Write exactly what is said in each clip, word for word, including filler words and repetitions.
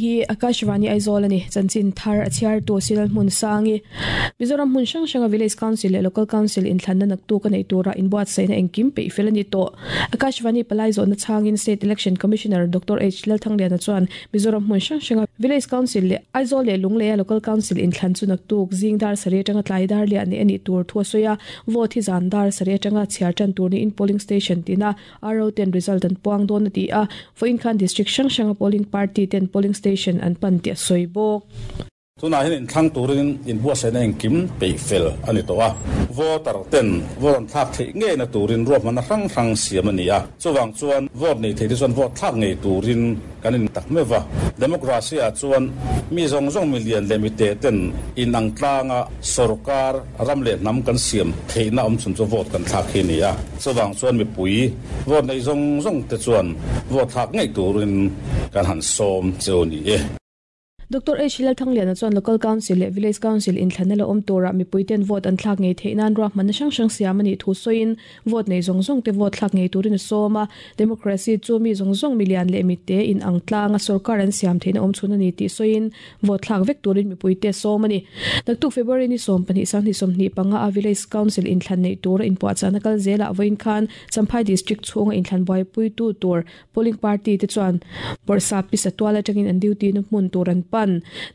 Hei hi Akashvani Aizawl ani chanchin thar a chhiar tu Silal hmun sangi Mizoram hmun hrang hranga Village Council leh Local Council inthlanna naktuk a nei tura inbuatsaihna engkim peih fel a ni tawh. Akashvani palai zawhna chhangin State Election Commissioner Doctor H Lalthangliana chuan Mizoram hmun hrang hranga Village Council leh Aizawl leh Lungleia Local Council inthlan chu naktuk zing dar sarih atanga tlai dar liah ni a nih tur thu a sawi a, vote hi zan dar sarih atanga chhiar tan tur niin polling station tina R O ten result an puang dawn a ti a, vawiin khan district hrang hranga polling party ten polling station an pan tih a sawi bawk. Tunah hian inthlang turin inbuatsaihna engkim peih fel a ni tawh a, voter ten vote an thlak theih ngeina turin ruahmanna hrang hrang siam a ni a, chuvang chuan vote nei thei te chuan vote thlak ngei turin kan in tak meuh va. Democracy ah chuan mi zawng zawng mi lian leh mi te ten inang tlanga sarkar ram leh hnam kan siam theihna awm chhun chu vote kan thlak hi a ni a, chuvang chuan mipui vote nei zawng zawng te chuan vote thlak ngei turin kan han sawm cheu ni e. Doctor H Lalthangliana chuan Local Council leh Village Council inthlanna la awm tura mipui ten vote an thlak ngei theih nan ruahmanna hrang hrang siam a nih thu sawiin vote nei zawng zawng te vote thlak ngei turin a sawm a, democracy chu mi zawng zawng mi lian leh mi te in ang tlanga sarkar an siam theihna awm chhun a ni tih sawiin vote thlak vek turin mipui te sawm a ni. Naktuk February ni sawm pahnih sanghnih sawmhnih panga a Village Council inthlan nei tura inpuahchahna kal zelah vawiin khan Champhai District chhunga inthlan buaipui tu tur polling party te chuan Bawrhsap pisa tual atangin an duty na hmun tur an pan.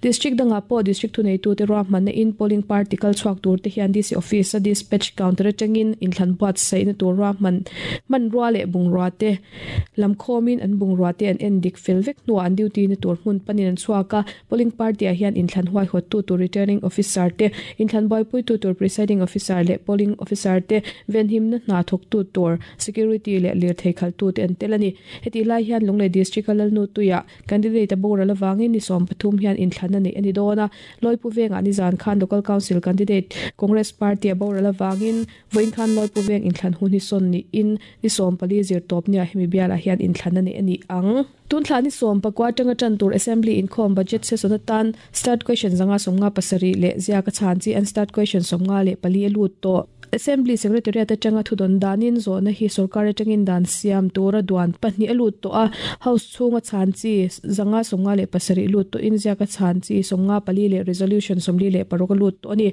District dangah pawh district thuneitu te ruahmanna in polling party kal chhuak tur te hian D C office a dispatch counter atangin inthlan buatsaihna tur ruahman hman rua leh bungrua te lamkhawmin an bungrua te an en dik fel vek hnuah an duty na tur hmun panin an chhuak a, polling party ah hian inthlan huaihawt tu tur returning officer te inthlan buaipui tu tur presiding officer leh polling officer te venhimna hna thawk tu tur security leh lirthei khal tu te an tel a ni. Heti lai hian Lunglei District a lalnu tuiah candidate a boral awangin ni sawm pathum hian inthlan a nei a ni dawn a, Loipu vengah nizan khan Local Council candidate Congress Party a boral awangin vawiin khan Loipu veng inthlan hun hi sawn niin ni sawm pali zir tawp nia hemi bialah hian inthlan a nei a ni ang. Tun thla ni sawm pakua atanga tan tur assembly inkhawm budget session atan start question zanga sawmnga pasarih leh ziaka chhan chi an start question sawmnga leh pali a lut tawh. Assembly Secretariat atanga thudon danin zawhna hi sarkar atangin dan siam tura duan pahnih a lut tawh a, house chhunga chhan chi zanga sawmnga leh pasarih lut tawh in ziaka chhan chi sawmnga pali leh resolution sawmli leh paruk a lut tawh a ni.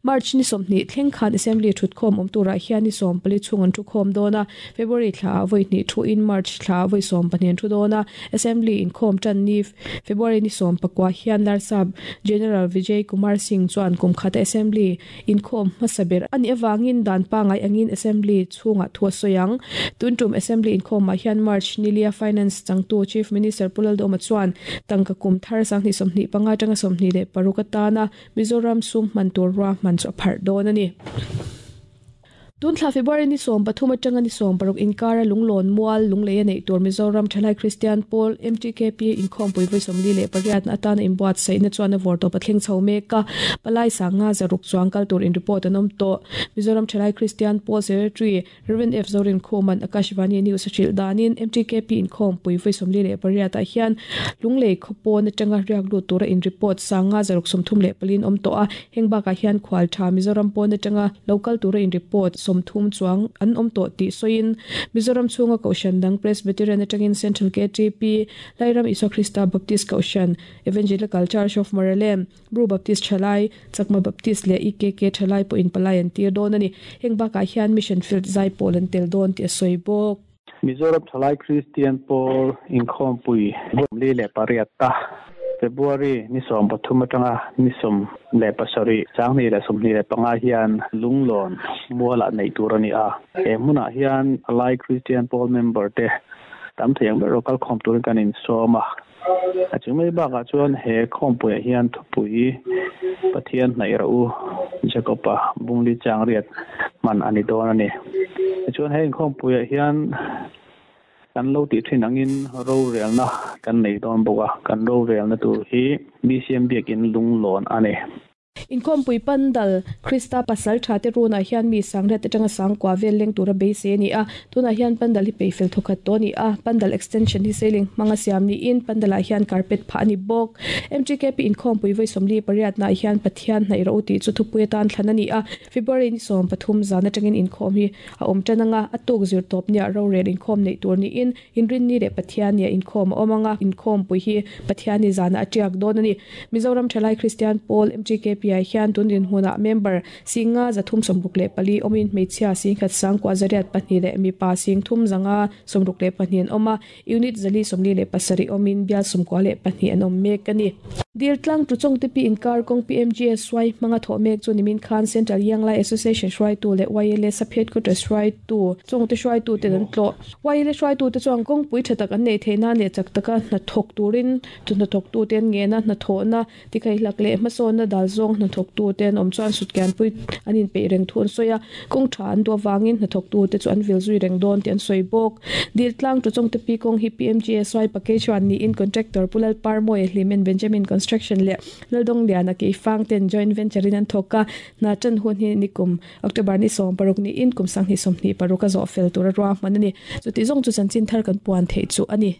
March ni sawmhnih thleng khan assembly thutkhawm awm turah hian ni sawm pali chhung an thu khawm dawn a, February thla ah vawi hnih thu in March thla ah vawi sawm pahnih an thu dawn a, assembly inkhawm tan ni February ni sawm pakua hian Larsap General Vijay Kumar Singh chuan kum khata assembly inkhawm hmasa ber ani awangin dan pangai angin assembly chhunga thu a sawi ang. Tun tum assembly inkhawmah hian March nilia finance changtu Chief Minister Pu Lalduhoma chuan tangka kum thar sanghnih sawmhnih panga atanga sawmhnih leh paruk atana Mizoram sum hman tur ruahman chu a pharh dawn a ni. Tun thla February ni sawm pathum atanga ni sawm paruk inkara Lunglawn Mual Lunglei a nei tur Mizoram Thalai Christian Pawl M T K P inkhawmpui vawi sawmli leh pariat na atana inbuatsaihna chuan a vawr tawp a thleng chho mek a, palai sanga zaruk chuang kal tur in report an awm tawh. Mizoram Thalai Christian Pawl Secretary Reverend F Zorin Khuman Akashvani News a hrilh danin M T K P inkhawmpui vawi sawmli leh pariat ah hian Lunglei khawpawn atanga riak lut tura in report sanga zaruk sawmthum leh palin awm tawh a, heng bakah hian khual tha Mizoram pawn atanga local tura in report sawmthum chuang an awm tawh tih sawiin Mizoram chhunga Kohhran dang Presbyterian atangin Central K T P Lairam Isua Krista Baptist Kohhran Evangelical Church of Maralem Bru Baptist Thalai Chakma Baptist leh E K K Thalai pawh in palai an tir dawn a ni. Heng bakah hian Mission Field zai pawl an tel dawn tih a sawi bawk. Mizoram Thalai Christian Pawl inkhawmpui li leh pariat ta February ni sawm pathum atanga ni sawm leh pasarih sanghnih leh sawmhnih leh panga hian Lunglawn Mualah nei tur a ni a, he hmunah hian Thalai Christian Pawl member te tam thei ang ber local khawm turin kan insawm a, a chung mai bakah chuan he khawmpuiah hian thupui Pathian hnaih rah u Jacob-a bungli chang riat hman a ni dawn a ni. Tichuan he inkhawmpuiah hian kan lo tih thin angin ro relna kan nei dawn bawk a, kan ro relna tur hi B C M biakin Lunglawn a ni. Inkhawmpui pandal Krista pasal tha te runa hian mi sangriat atanga sangkua vel leng tura beisei ani a tunah hian pandal hi peifel thawkhat tawh ani a pandal extension hi ceiling hmanga siam niin pandal ah hian carpet phah ani bawk M G K P inkhawmpui vawi sawmli pariat nah hian Pathian hnaih ro tih chu thupui atan thlan ani a February ni sawm pathum zan atangin inkhawm hi a awm tan anga a tuk zir tawp nia rorel inkhawm nei tur niin inrin ni leh Pathian nia inkhawm a awm anga inkhawmpui hi Pathian ni zana a tiak dawn ani Mizoram Thalai Christian Pawl M G K P ah hian tun dinhmunah member singa zathum sawmruk leh pali awmin hmeichhia singkhat sangkua zariat pahnih leh mipa sing thum zanga sawmruk leh pahnih an awm a unit zali sawmli leh pasarih awmin bial sawmkua leh pahnih an awm mek ani Diltlang tu chong te pi inkar kawng P M G S Y hmanga thawh mek chu nimin khan Central Yanglai Association hruaitu leh Y L A sub headquarters hruaitu chong te hruaitu ten an tlawh Y L A hruaitu te chuan kawngpui tha tak an nei theih nan leh chak taka hnathawk turin chu hnathawk tu ten ngena hnathawhna tikhaih hlak leh hmasawnna dal zawng hnathawk tu ten awm chuan sutkian pui an inpeih reng thu an sawi a kawng tha an duh awangin hnathawk tu te chu an vil zui reng dawn tih an sawi bawk Diltlang tu chong te pi kawng hi P M G S Y package one niin contractor Pulal Parmoy Hlimen Benjamin Construction leh Laldong Liana ke fang ten joint venture in an thawk a hna tan hun hi nikum October ni sawm paruk ni in kum sanghnih sawmhnih paruk a zawh fel tur a ruahman ani chuti zawng chu chanchin thar kan puan theih chu ani.